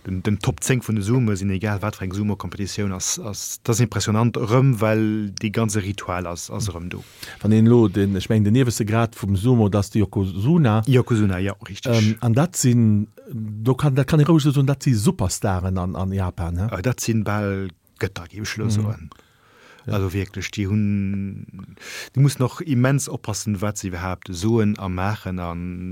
den, den Top zéng vun de Sumoe sinn, egal wat fir eng Sumo-Kompetitioun ass, ass, dat ass impressionant erëm, well dee ganze Ritual ass, ass erëm do. Wann een elo den, ech mengen den ieweschte Grad vum Sumo, dat ass de Yokozuna. Yokozuna, jo, richteg. An dat sinn, do kann, dat kann ee roueg esou soen, dat si Superstaren an, an Japan, he? Dat sinn bal Gëtter, géif ech elo soen. Also wierklech, déi hunn, déi mussen och immens oppassen, wat se iwwerhaapt soen a maachen a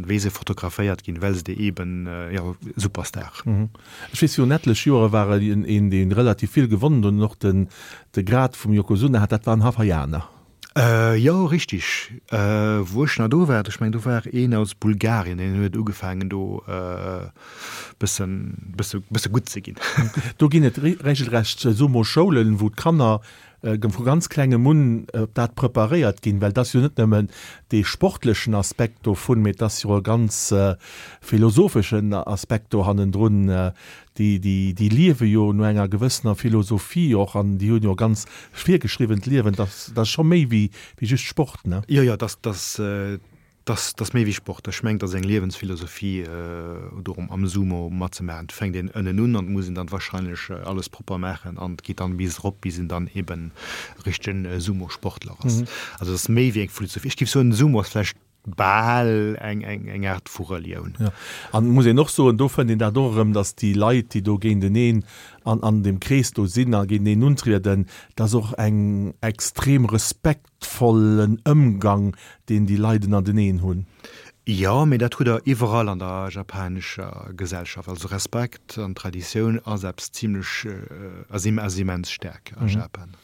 wéi se fotograféiert ginn, well se déi eeben, jo, Superstar. Ech weess, virun etlech Joere war een, dee relativ vill gewonnen huet an och den, de Grad vum Yokozuna hat, dat war en Hawaiianer. Jo, richtig. Wou ech nach do war, ech mengen, do war een aus Bulgarien, deen huet ugefaangen do bëssen, bësse, bësse gutt ze ginn. Do ginn et regelrecht Sumo-Schoulen, wou d'Kanner vu ganz klengem un op dat preparéiert ginn, well et ass jo net nëmmen dee sportlechen Aspekt dovun, mee et ass jo e ganz philosopheschen Aspekt do hannendrun. Déi, déi, déi liewe jo no enger gewëssener Philosophie och an déi hunn jo e ganz virgeschriwwent Liewen. Dat ass scho méi wéi, wéi just Sport, ne? Jo, jo, dat ass, dat ass méi wéi Sport. Ech mengen, dat ass eng Liewensphilosophie, do am Sumo matzemaachen. Et fänkt een ënnen un an et muss een dann wahrscheinlech alles propper maachen an et geet dann bis erop, bis een dann eben e richtegen Sumo-Sportler ass. Also dat ass méi wéi eng Philosophie. Ech géif soen, Sumo ass vläicht bal eng eng Aart vu Relioun. Jo, an et muss een och soen, do fënnt een dat och erëm, datt déi Leit, déi do géinteneen an an deem Krees do sinn a géinteneen untrieden, dat ass och eng extrem respektvollen Ëmgang, deen déi Leit ënnerteneen hunn. Jo, mee dat hutt Der iwwerall an der japanescher Gesellschaft. Also Respekt an Traditioun ass eppes zimlech, ass immens staark a Japan.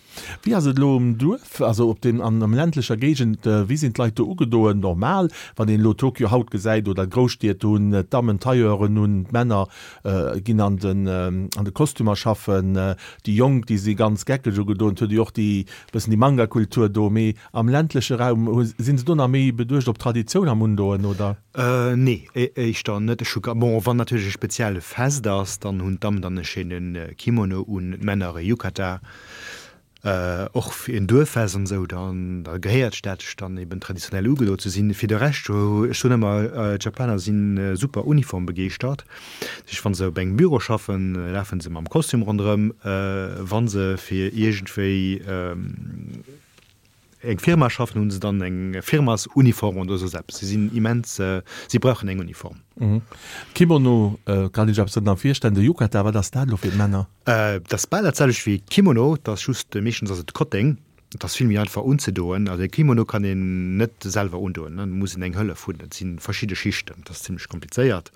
Wéi ass et elo um Duerf, also op dem, an am ländlecher Géigend, wéi sinn d'Leit do ugedoen? Normal, wann een elo Tokio haut gesäit oder d'Grousstied, do hunn d'Dammen Tailleuren un, d'Männer ginn an den, an de Kostümer schaffen, déi Jonk, déi si ganz geckeg ugedoen, et huet ee jo och déi bëssen déi Manga-Kultur do, mee am ländleche Raum, hu, sinn se do nach méi beduecht op Traditioun am Undoen, oder? Nee, éischter net. Ech hu, bon, wann natierlech e spezielle Fest ass, dann hunn d'Dammen dann e schéine Kimono un, d'Männer e Yukata. Och fir en Duerffest an esou, dann da gehéiert dat sech dann eben traditionell ugedo ze sinn. Fir de Rescht, ech soen ëmmer, d'Japaner si super uniformbegeeschtert. Dat heescht, wa se op engem Büro schaffen, lafe se mam Kostüm ronderëm. Wa se fir iergendwéi eng Firma schaffen, hu se dann eng Firmasuniform oder soss eppes. Si sinn immens, si brauchen eng Uniform. Kimono kann ech eppes drënner virstellen. De Yukata, wat ass dat elo fir d'Männer? Dat ass bal dat selwecht wéi Kimono, dat ass just, meeschtens ass et Kotteng. Et ass vill méi einfach unzedoen. Also e Kimono kann een net selwer undoen, do muss een eng Hëllef hunn. Et si verschidde Schichten, dat ass zimmlech komplizéiert.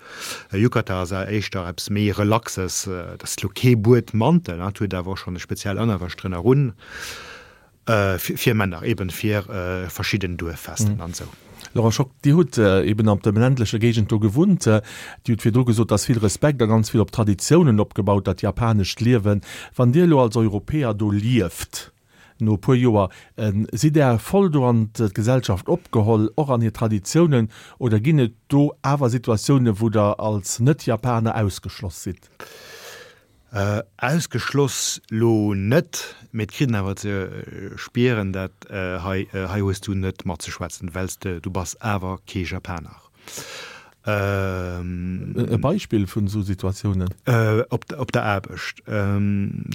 E Yukata ass éischter eppes méi Relaxes, dat ass elo kee Buedmantel, et huet awer och schonn e speziell Ënnerwäsch drënner un. Fir Männer, eben fir verschidden Duerffesten an esou. Laurent Schock, Dir hutt eben an der ländlecher Géigend do gewunnt. Dir hutt virdru gesot, dass vill Respekt a ganz vill op Traditiounen opgebaut, dat japanescht Liewen. Wann Dir elo als Europäer do lieft, no e puer Joer, sidd Der voll do an d'Gesellschaft opgeholl, och an hir Traditiounen, oder ginn et do awer Situatiounen, wou Der als Net-Japaner ausgeschloss sidd? Ausgeschloss lo net, mee et kritt een awer ze spieren, dat hei hei hues du net matzeschwätzen, well s de du bass awer kee Japaner. E Beispill vun esou Situatiounen? Op der Aarbecht.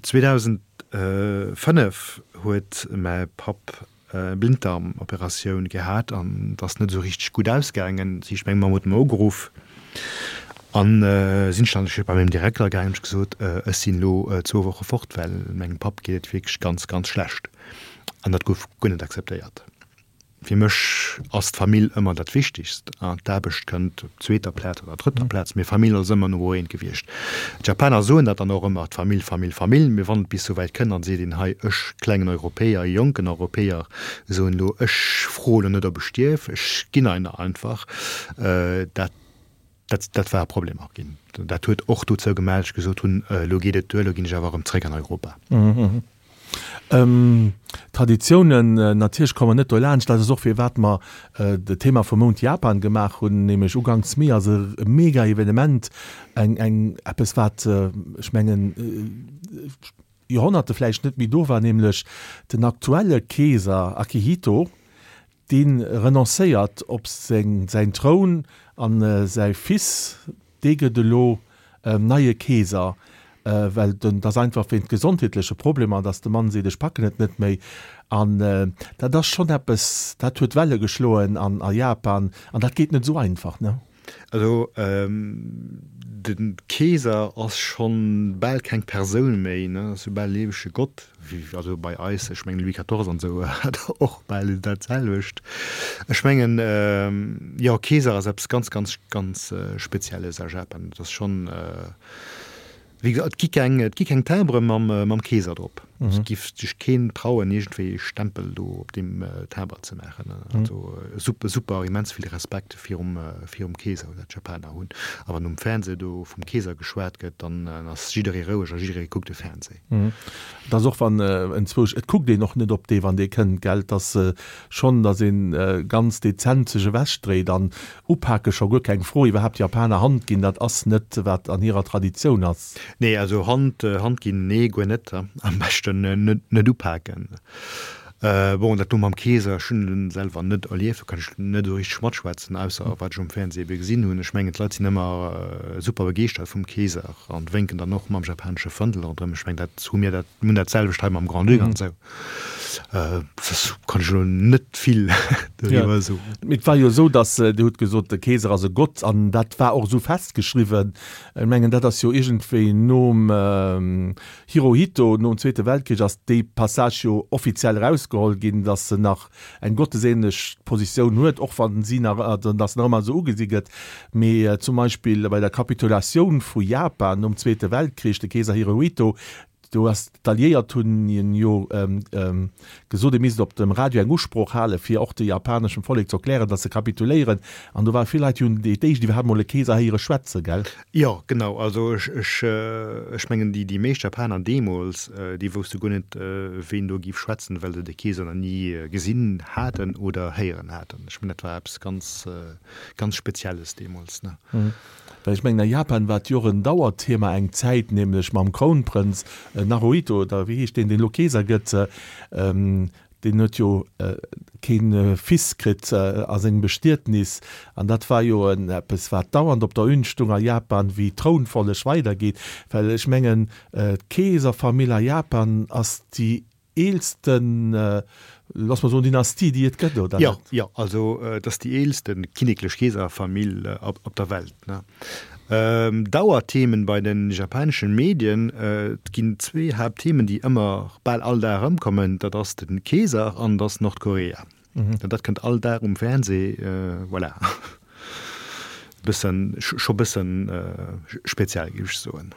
zweedausendfënnef huet mäi Papp e Blinddarmoperatioun gehat an et ass net esou richteg gutt ausgaangen. Dat heescht, meng Mamm huet mer ugeruff an sinn ech dann bei mengem Direkter gaangen, hunn ech gesot, ech sinn elo zwou Woche fort, well mengem Papp geet et wierklech ganz, ganz schlecht. An dat gouf guer net akzeptéiert. Fir mech ass d'Famill ëmmer dat Wichtigst. D'Aarbecht kënnt op zweeter Plaz oder drëtter Plaz, mee Famill ass ëmmer Nummer eent gewiescht. D'Japaner soen dat dann och ëmmer, d'Famill, Famill, Famill, mee wann et bis souwäit kënnt, dann seet een, hei, ech klengen Europäer, jonken Europäer, soen elo, ech froe lo net, ob ech dierf, ech ginn einer einfach. Dat, dat, dat war e Problem och ginn. Dat huet och dozou gemaach, datt ech gesot hunn, elo geet et duer, elo ginn ech awer erëm zréck an Europa. Traditiounen, natierlech komme mer net dolaanscht, dat ass och firwat mer de Thema vum Mount Japan gemaach hunn, nämlech uganks Mee ass e mega Evenement, eng, eng, eppes wat, ech mengen, Joerhonnerte vläicht net méi do war, nämlech den aktuelle Keeser Akihito, dee renoncéiert op seng, säin Troun an säi Fils, dee gëtt elo neie Keeser. Well den, dat ass einfach wéint gesondheetleche Problemer, dass de Mann seet, ech packen et net méi. An dat ass schonn eppes, dat huet Welle geschloen an a Japan an dat geet net esou einfach, ne? Also de Keeser ass schonn bal keng Persoun méi, ne, ass jo bal e liewege Gott, wéi also bei eis, ech mengen Louis quatorze an esou hat och bal dat selwecht. Ech mengen, jo, Keeser ass eppes ganz, ganz, ganz Spezielles a Japan. Dat ass schonn. Wéi gesot, et gi keng, et gi keng Timbre mam, mam Keeser drop. Et giff sech keen trauen, iergendwéi e Stempel do op deem Timbre ze maachen. Also super, super immens vill Respekt virum, virum Keeser, dat d'Japaner hunn. A wann um Fernseh do vum Keeser geschwat gëtt, dann ass jidderee roueg a jidderee kuckt de Fernseh. Et ass och wann enzwousch, et kuckt een och net op dee wann dee kënnt, gell. Et ass schonn, datt ee ganz dezent sech ewechdréit an Upake scho guer keng Fro, iwwerhaapt Japaner Hand ginn, dat ass net wat an hirer Traditioun ass. Nee, also Hand, Hand ginn, nee, guer net. Am beschten net, net upaken. Bon, dat do mam Keeser, ech hunn en selwer net erlieft, do kann ech net esou richteg matschwätzen, ausser wat ech um Fernseh ebe gesinn hunn. Ech mengen, d'Leit sinn ëmmer super begeeschtert vum Keeser an wénken dann och mam japanesche Fëndel ronderëm. Ech mengen, dat hu mir dat, mir hunn dat selwecht hei mam Grand-Duc an esou. Soss kann ech elo net vill doriwwer soen. Mee et war jo esou, datt, Dir hutt gesot, de Keeser ass e Gott, an dat war och esou festgeschriwwen. Ech mengen, dat ass jo iergendwéi nom Hirohito, nom Zweete Weltkrich ass dee Passage jo offiziell erausgeholl ginn, datt se nach eng gottesähnlech Positioun huet, och wann si nach, datt se nach ëmmer esou ugesi gëtt. Mee zum Beispill bei der Kapitulatioun vu Japan nom Zweete Weltkrich, de Keeser Hirohito, Do ass d'Alliéiert hunn hien jo gesot, e misst op dem Radio eng Usprooch halen, fir och de japaneschem Vollek ze erklären, datt se kapituléieren. An do ware vill Leit, déi hunn déi d'éischt iwwerhaapt mol e Keeser héiere schwätzen, gell? Jo, genau. Also ech, ech, ech mengen, déi, déi meescht Japaner deemools, déi wousste guer net, ween do géif schwätzen, well se de Keeser nach ni gesinn haten oder héieren haten. Ech mengen, dat war eppes ganz, ganz Spezielles deemools, ne? Well ech mengen, a Japan war et jo och en Dauerthema eng Zäit, nämlech mam Krounprënz Naruhito, oder wéi heescht deen, deen elo Keeser gëtt, deen huet jo kee Fils kritt a sengem Bestietnis. An dat war jo en eppes, wat dauernd op der Une stung a Japan, wéi d'Trounfolleg weidergeet. Well ech mengen, d'Keeserfamill a Japan ass déi eelsten, looss mer soen, Dynastie, déi et gëtt, oder net? Jo, jo, also et ass déi eelste kinneklech Keeserfamill op der Welt. Dauerthemen bei de japaneschen Medien, et ginn zwee Haaptthemen, déi ëmmer bal all Dag erëmkommen, dat ass de Keeser an dat ass Nordkorea. Dat kënnt all Dag um Fernseh, voilà. Bëssen, scho bëssen speziell, géif ech soen.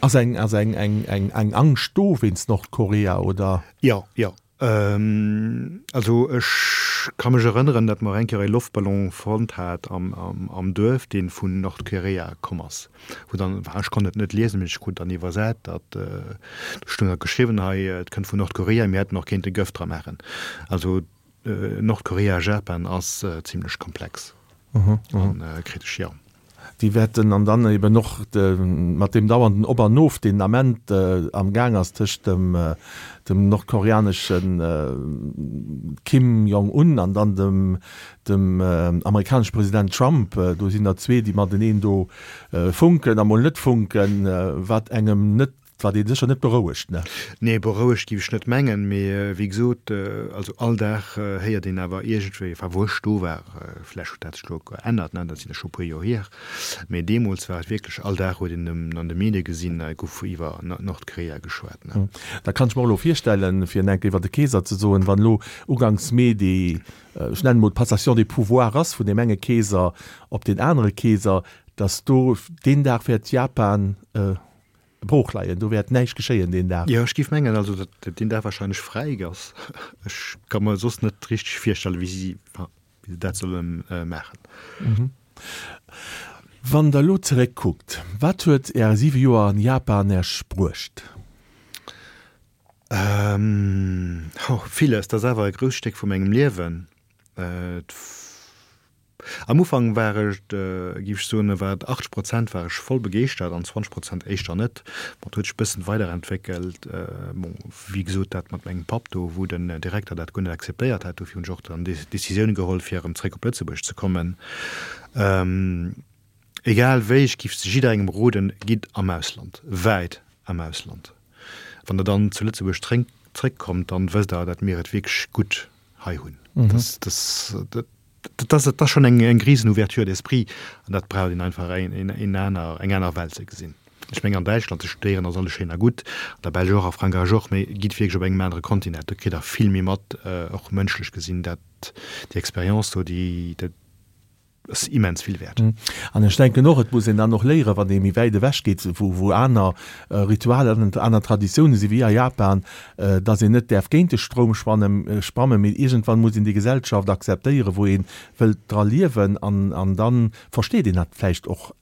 Ass eng, ass eng, eng, eng, eng Angscht do wéinst Nordkorea, oder? Jo, jo. Also ech ka mech erënneren, datt mer eng Kéier e Loftballon fonnt hat am, am, am Duerf, dee vun Nordkorea komm ass. Wou dann, ech konnt et net liesen, mee ech krut dann iwwersat, datt, do stoung da geschriwwen, hei, et kënnt vun Nordkorea, mir hätten och kéinte Gëft dra maachen. Also Nordkorea, Japan ass zimlech komplex an kritesch, jo. Déi wäerten an dann eben och de, mat deem dauernden Op an Of, deen den Ament am Gaang ass tëscht dem, dem nordkoreanesche Kim Jong Un an dann dem, dem amerikanesche President Trump, do sinn der zwee, déi mateneen do funken a mol net funken, wat engem net Wat een sécher net berouegt, ne? Nee, berouegt géif ech net mengen, mee wéi gesot, also all Dag héiert een awer iergendwéi, enfin wou ech do war, vläch huet dat sech elo geännert, ne, dat sinn jo scho e puer Joer hier, mee deemools war et wierklech, all Dag huet een an de Medie gesinn, hei gouf iwwer Nordkorea geschwat, ne. Da kann ech mer och elo virstellen, fir en enke iwwer de Keeser ze soen, wann elo uganks Mee déi, ech nennen emol d'Passation des pouvoirs ass vun deem enge Keeser op deen anere Keeser, datt do deen Dag wäert Japan, Brooch leien, do wäert näischt geschéien deen Dag. Jo, ech géif mengen, also datt deen Dag wahrscheinlech fräi ass. Ech ka mer soss net richteg virstellen, wéi si, enfin, wéi se dat solle maachen. Wann Der elo zeréckkuckt, wat huet Är siwe Joer an Japan Äech bruecht? Oh, villes. Dat ass awer e grousst Stéck vu mengem Liewen. Et Am Ufank war ech, géif ech soen, war et achtzeg Prozent war ech voll begeeschtert an zwanzeg Prozent éischter net. Bon, et huet sech e bëssen weiderentwéckelt. Bon, wéi gesot, dat mat mengem Papp do, wou den Direkter dat guer net akzeptéiert hat, dofir hunn ech och dann déi Decisioun geholl, fir erëm zréck op Lëtzebuerg ze kommen. Egal wéi, ech géif jidderengem roden, gitt am Ausland, wäit am Ausland. Wann der dann zu Lëtzebuerg zréckkommt, dann wësst der, dat mir et wierklech gutt hei hunn. Dat, dat, Dat ass, dat ass schonn eng, eng risen Ouverture d'esprit an dat braucht een einfach, eng, eng aner, eng aner Welt ze gesinn. Ech mengen an Däitschland ze studéieren ass alles schéin a gutt, an der Belsch och, a Frankräich och, mee gitt wierklech op engem anere Kontinent, do kritt Der vill méi mat, och mënschlech gesinn. Dat, déi Expérience do, déi, dat ass immens vill wäert. An ech denken och, et muss een dann och léieren, wann ee méi wäit ewech geet, wou, wou aner Ritualer an aner Traditiounen si wéi a Japan, dass een net däerf géint de Stroum schwannen, schwammen, mee iergendwann muss een déi Gesellschaft akzeptéieren, wou ee wëllt dra liewen, an, an da versteet een dat vläicht och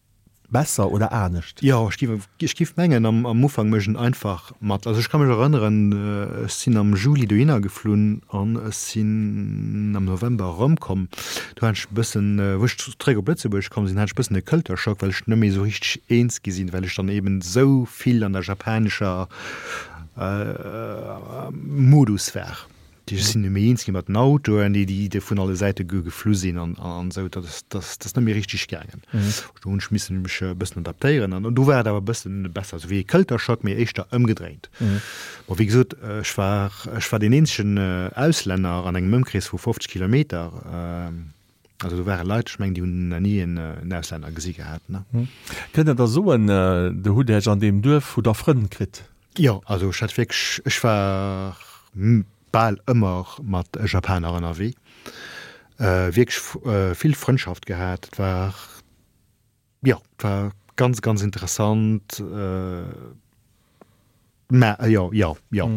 besser oder anescht. Jo, ech géif, ech géif mengen, am, am Ufank mécht een einfach mat. Also ech ka mech erënneren, ech sinn am Juli dohinner geflunn an ech sinn am November erëmkomm. Do hat ech e bëssen, wou ech zeréck op Lëtzebuerg komm sinn, hat ech e bëssen e Culture-Shock, well ech net méi esou richteg eens gi sinn, well ech dann eben esou vill an der japanescher Modus war. Ech sinn net méi eens gi mat den Autoen, déi déi vun alle Säite geflu sinn an an esou. Dat ass dat ass net méi richteg gaangen. Do hunn ech missen mech e bëssen adaptéieren an do war et awer e bëssen besser, esou wéi e Culture-Shock, mee éischter ëmgedréint. Bon, wéi gesot, ech war ech war deen eenzegen Auslänner an engem Ëmkrees vu fofzeg Kilometer. Also do ware Leit, ech mengen, déi hunn nach ni en Auslänner gesi gehat, ne? Kënnt Der da soen, Der hutt Iech an deem Duerf, hutt Der Frënn kritt? Jo, also ech hat wierklech, ech war bal ëmmer mat Japaner ënnerwee, wierklech vill Frëndschaft gehat. Et war, jo, et war ganz, ganz interessant. Mä jo, jo, jo.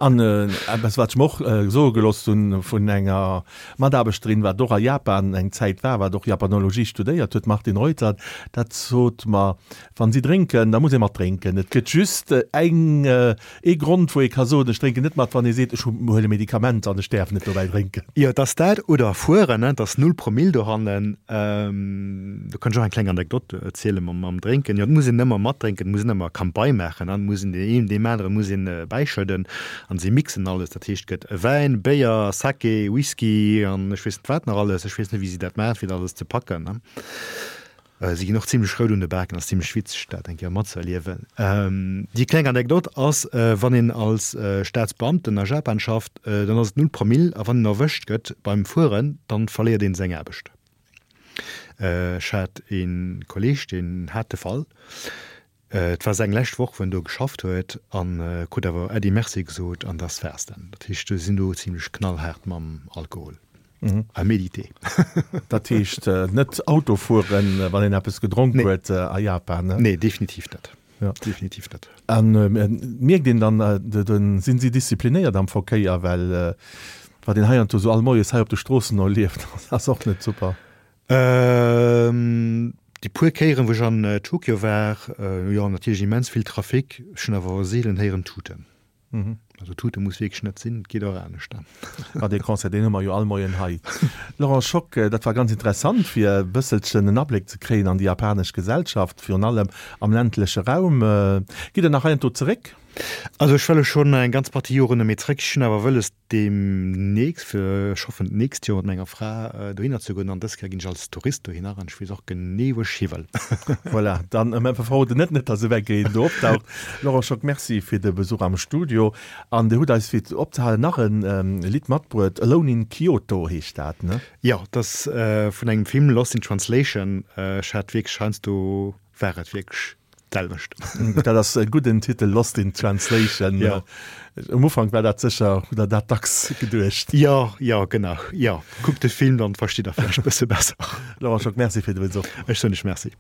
An eppes, wat ech mer och soe gelooss hunn vun enger Mataarbechterin, wat och a Japan eng Zäit war, wat och Japanologie studéiert huet, d'Martine Reuter, dat sot mer, Wann si drénken, da muss ee mat drénken. Et gëtt just eng, ee Grond, wou ee ka soen, ech drénken net mat, wann ee seet, ech huele Medikamenter an ech däerf net dobäi drénken. Jo, et ass dat oder fueren, et ass null Promill dohannen. Do kann ech och eng kleng Anekdot erziele mam Drénken. Jo, et muss een ëmmer matdrénken, et muss een ëmmer Kampai maachen an et muss een deen een deem anere muss een bäischëdden an si mixen alles. Dat heescht, et gëtt Wäin, Béier, Sake, Whisky an ech weess net wat nach alles. Ech weess net, wéi si dat maachen, fir dat alles ze packen. Si ginn och zimlech rout un de Baken, ass zimlech witzeg dat eng Kéier matzëerliewen. Déi kleng Anekdot ass, wann een als Staatsbeamten a Japan schafft, dann ass et null Promill a wann een erwëscht gëtt beim Fueren, dann verléiert een seng Aarbecht. Ech hat ee Kolleeg, deen hat de Fall. Et war seng lescht Woch, wou en do geschafft huet an krut awer Äddi Merci gesot an dass war's dann. Dat heescht, se sinn do zimlech knallhaart mam Alkohol. À méditer. Dat heescht net Auto fueren, wann een eppes gedronk huet a Japan, ne? Nee, definitiv net. Definitiv net. A mierkt een dann, sinn si disziplinéiert am Verkéier? Well wat een heiansdo esou all Moies hei op de Stroossen erlieft, ass och net super. Déi puer Kéieren, wou ech an Tokio war, jo, natierlech immens vill Trafic. Ech hunn awer seelen héieren tuten. Also Tute muss wierklech net sinn, et geet och anescht. Ma dee Concert, deen hu mer jo all Moien hei. Laurent Schock, dat war ganz interessant, fir e bësselchen en Abléck ze kréien an déi japanesch Gesellschaft, virun allem am ländleche Raum. Gitt Der nach heiansdo zeréck? Also ech wëll schonn eng ganz Partie Joren net méi zréck. Ech hunn awer wëlles deemnächst, fir ech hoffen d'nächst Joer mat menger Fra dohinner ze goen an dës Kéier ginn ech als Tourist dohinner an ech weess och genee wou ech hi wëll. Voilà, dann mä verroden net net dass ewell een do opdaucht. Laurent Schock, Merci fir de Besuch am Studio an Dir hutt eis fir opzehalen nach en Lidd matbruet, Alone in Kyoto heescht dat, ne? Jo, dat ass vun engem Film, Lost in Translation. Ech hat wierklech heiansdo war et wierklech d'selwecht. Dat ass e gudden Titel, Lost in Translation. Ja. Um Ufank war dat sécher, hutt Der dat dacks geduecht. Jo, jo, genau, jo. Kuckt de Film, dann verstitt Der vläicht e bësse besser. Laurent Schock, Merci fir de Besuch. Ech soen lech Merci.